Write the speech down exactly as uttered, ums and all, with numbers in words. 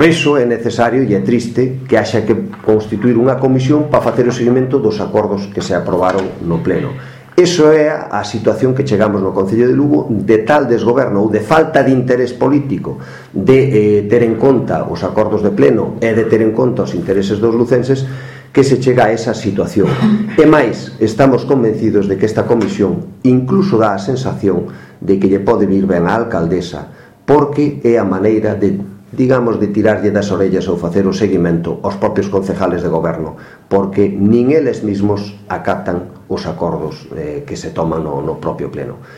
Por iso é necesario e é triste que haxa que constituir unha comisión para facer o seguimento dos acordos que se aprobaron no pleno. Iso é a situación que chegamos no Concello de Lugo, de tal desgoberno ou de falta de interés político de eh, ter en conta os acordos de pleno e de ter en conta os intereses dos lucenses, que se chega a esa situación. E máis, estamos convencidos de que esta comisión incluso dá a sensación de que lle pode vir ben a alcaldesa, porque é a maneira de, digamos, de tirarlle das orellas ou facer o seguimento aos propios concejales de goberno, porque nin eles mismos acatan os acordos eh, que se toman no, no propio pleno.